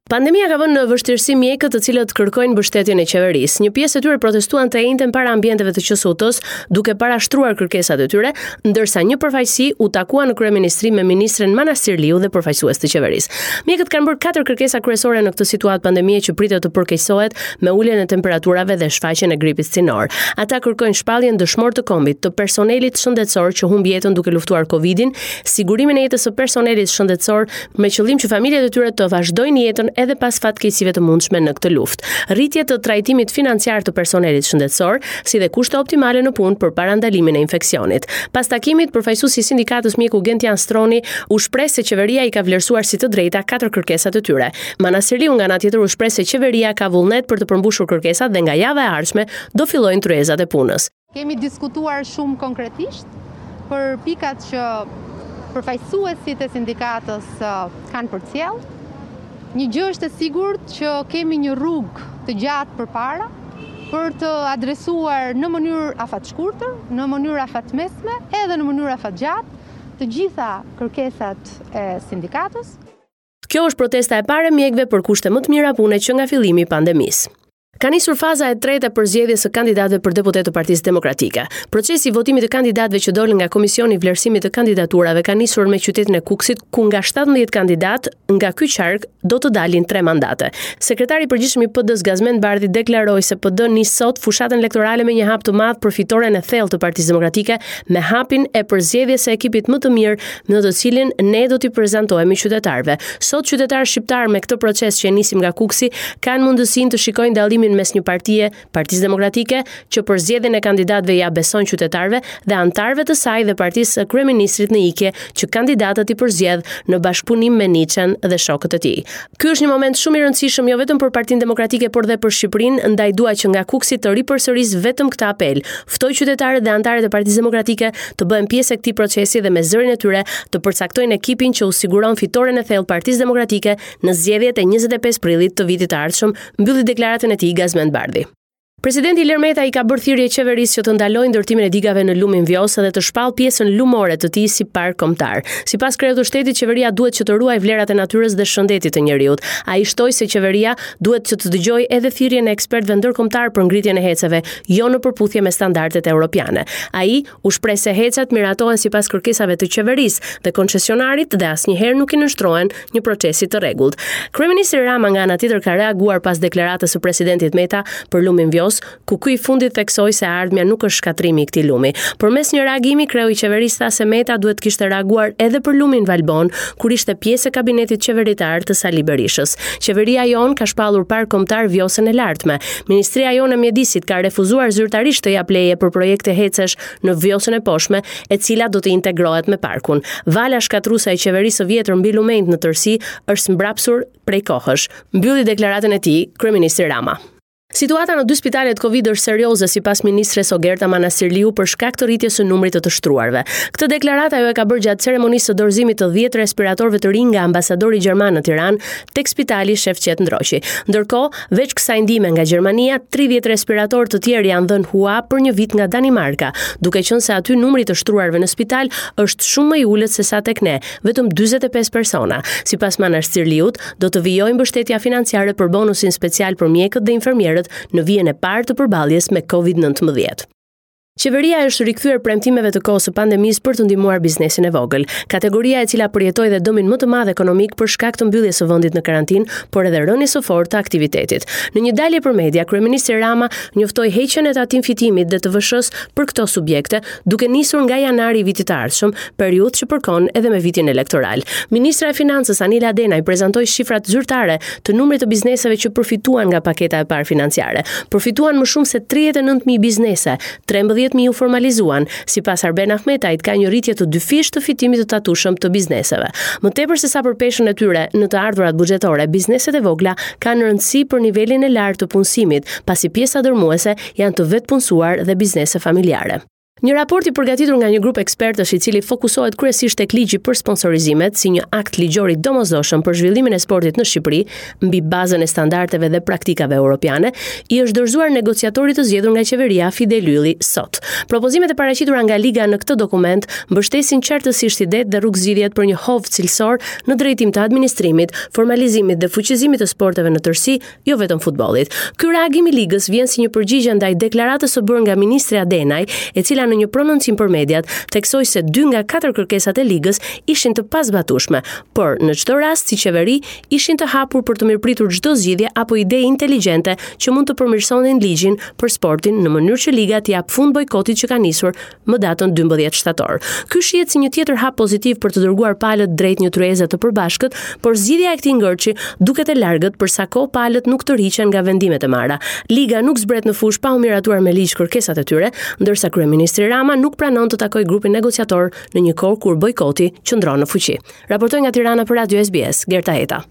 Pandemia ka vënë në vështirësi mjekët të cilët kërkojnë mbështetjen e qeverisë. Një pjesë e tyre protestuan të enjten para ambienteve të QSUT-së, duke parashtruar kërkesat e tyre, ndërsa një përfaqësi u takua në kryeministri me ministren Manastirliu dhe përfaqësues të qeverisë. Mjekët kanë bërë katër kërkesa kryesore në këtë situatë pandemie që pritet të përkeqësohet me uljen e temperaturave dhe shfaqjen e gripit stinor. Ata kërkojnë shpalljen dëshmor të kombit, të personelit shëndetësor që humbi jetën duke luftuar Covidin, sigurimin e jetës së personelit shëndetësor me qëllim që familjet e tyre të vazhdojnë jetën edhe pas fatkeqësive të mundshme në këtë luftë. Rritje të trajtimit financiar të personelit shëndetësor, si dhe kushte optimale në punë për parandalimin e infeksionit. Pas takimit, përfaqësuesi i sindikatës mjeku Gentian Stroni u shpreh se qeveria i ka vlerësuar si të drejta katër kërkesat e tyre. Manastirliu nga ana tjetër u shpreh se qeveria ka vullnet për të përmbushur kërkesat dhe nga java e ardhshme do fillojnë tryezat e punës. Kemi diskutuar shumë konkretisht për pikat që përfaqësuesit e sindikatës kanë përcjellë. Një gjë është e sigurt që kemi një rrugë të gjatë përpara për të adresuar në mënyrë afatshkurtër, në mënyrë afatmesme edhe në mënyrë afatgjatë të gjitha kërkesat e sindikatës. Kjo është protesta e parë e mjekëve për kushte më të mira pune që nga fillimi i pandemisë. Ka nisur faza e tretë e përzgjedhjes së kandidatëve për deputetë të Partisë Demokratike. Procesi i votimit të kandidatëve që dolën nga Komisioni i Vlerësimit të Kandidaturave ka nisur me qytetin e Kukësit, ku nga 17 kandidatë nga ky qark do të dalin 3 mandate. Sekretari i Përgjithshëm i PD-së Gazmend Bardhi deklaroi se PD nis sot fushatën elektorale me një hap të madh për fitoren e thellë të Partisë Demokratike me hapin e përzgjedhjes së ekipit më të mirë në të cilin ne do t'i prezantohemi qytetarëve. Sot qytetarët shqiptarë me këtë proces që e nisim nga Kukësi kanë mundësinë të shikojnë dallimin mes një partie, Partisë Demokratike, që përzgjedhjen e kandidatëve ia beson qytetarëve dhe anëtarëve të saj dhe partisë së kryeministrit në ikje që kandidatët i përzgjedh në bashkëpunim me Niçen dhe shokët e tij. Ky është një moment shumë i rëndësishëm jo vetëm për Partinë Demokratike, por dhe për Shqipërinë, ndaj dua që nga Kukësi të ripërsëris vetëm këtë apel. Ftoj qytetarët dhe anëtarët e Partisë Demokratike të bëhen pjesë e këtij procesi dhe me zërin e tyre të përcaktojnë ekipin që u siguron fitoren e thellë Partisë Demokratike në zgjedhjet e 25 prillit të vitit të ardhshëm, mbylli deklaratën e tij Gazmend Bardhi. Presidenti Ilir Meta i ka bërë thirrje qeverisë që të ndalojë ndërtimin e digave në lumin Vjosë dhe të shpallë pjesën lumore të tij si park kombëtar. Sipas kreut të shtetit, qeveria duhet që të ruajë vlerat e natyrës dhe shëndetit të njeriut. Ai shtoi se qeveria duhet që të dëgjojë edhe thirrjen e ekspertëve ndërkombëtarë për ngritjen e HEC-eve, jo në përputhje me standardet europiane. Ai U shpreh se HEC-et miratohen sipas kërkesave të qeverisë dhe koncesionarit dhe asnjëherë nuk i nënshtrohen një procesi të rregullt. Kryeministri Rama nga ana tjetër ka reaguar pas deklaratës së presidentit Meta për lumin Vjosë, ku ky i fundit theksoi se e ardhmja nuk është shkatërrimi i këtij lumi. Përmes një reagimi, kreu i qeverisë tha se Meta duhet të kishte reaguar edhe për lumin Valbonë, kur ishte pjesë e kabinetit qeveritar të Sali Berishës. Qeveria jonë ka shpallur park kombëtar Vjosën e Lartme. Ministria jonë e Mjedisit ka refuzuar zyrtarisht të japë leje për projekte HEC-esh në Vjosën e Poshtme, e cila do të integrohet me parkun. Vala shkatërruese e qeverisë së vjetër mbi lumenjtë në tërësi është zmbrapsur prej kohësh. Mbylli deklaratën e tij kryeministri Rama. Situata në dy spitalet Covid është serioze sipas ministres Ogerta Manastirliu për shkak të rritjes së numrit të të shtruarve. Këtë deklaratë ajo e ka bërë gjatë ceremonisë së dorëzimit të 10 respiratorëve të rinj nga ambasadori gjerman në Tiranë tek spitali Shefqet Ndroqi. Ndërkohë, Veç kësaj ndihme nga Gjermania, 30 respiratorë të tjerë janë dhënë hua për një vit nga Danimarka, duke qenë se aty numri i të shtruarve në spital është shumë më i ulët se sa tek ne, vetëm 45 persona. Sipas Manastirliut, do të vijojë mbështetja financiare për bonusin special për mjekët dhe infermierët në vijën e parë të përballjes me Covid-19. Qeveria është rikthyer premtimeve të kohës së pandemisë për të ndihmuar biznesin e vogël, kategoria e cila përjetoi dhe dëmin më të madh ekonomik për shkak të mbylljes së vendit në karantinë, por edhe rënies së fortë të aktivitetit. Në një dalje për media, kryeministri Rama njoftoi heqjen e tatim fitimit dhe TVSH-së për këto subjekte, duke nisur nga janari i vitit të ardhshëm, periudhë që përkon edhe me vitin elektoral. Ministrja e Financës Anila Denaj prezantoi shifrat zyrtare të numrit të bizneseve që përfituan nga paketa e parë financiare. Përfituan më shumë se 39.000 biznese, 13.000 u formalizuan. Sipas Arben Ahmetajt, ka një rritje të dyfishtë të fitimit të tatueshëm të bizneseve. Më tepër se sa për peshën e tyre në të ardhurat buxhetore, bizneset e vogla kanë rëndësi për nivelin e lartë të punësimit, pasi pjesa dërmuese janë të vetëpunësuar dhe biznese familjare. Një raport i përgatitur nga një grup ekspertësh i cili fokusohet kryesisht tek ligji për sponsorizimet si një akt ligjor i domosdoshëm për zhvillimin e sportit në Shqipëri mbi bazën e standardeve dhe praktikave europiane, i është dorëzuar negociatorit të zgjedhur nga qeveria Fidel Ylli sot. Propozimet e paraqitura nga Liga në këtë dokument mbështesin qartësisht idetë dhe rrugëzgjidhjet për një hov cilësor në drejtim të administrimit, formalizimit dhe fuqizimit të sporteve në tërësi, jo vetëm futbollit. Ky reagim i Ligës vjen si një përgjigje ndaj deklaratës së bërë nga ministrja Denaj, e cila në një prononcim për mediat theksoi se dy nga katër kërkesat e Ligës ishin të pazbatueshme, por në çdo rast si qeveri ishin të hapur për të mirëpritur çdo zgjidhje apo ide inteligjente që mund të përmirësonin ligjin për sportin në mënyrë që Liga t'i japë fund bojkotit që ka nisur më datën 12 shtator. Ky shihet si një tjetër hap pozitiv për të dërguar palët drejt një tryeze të përbashkët, por zgjidhja e këtij ngërçi duket e largët për sa kohë palët nuk tërhiqen nga vendimet e marra. Liga nuk zbret në fushë pa u miratuar me ligj kërkesat e tyre, ndërsa kryeministri Rama nuk pranon të takojë grupin negociator në një kohë kur bojkoti qëndron në fuqi. Raportoi nga Tirana për Radio SBS, Gerta Heta.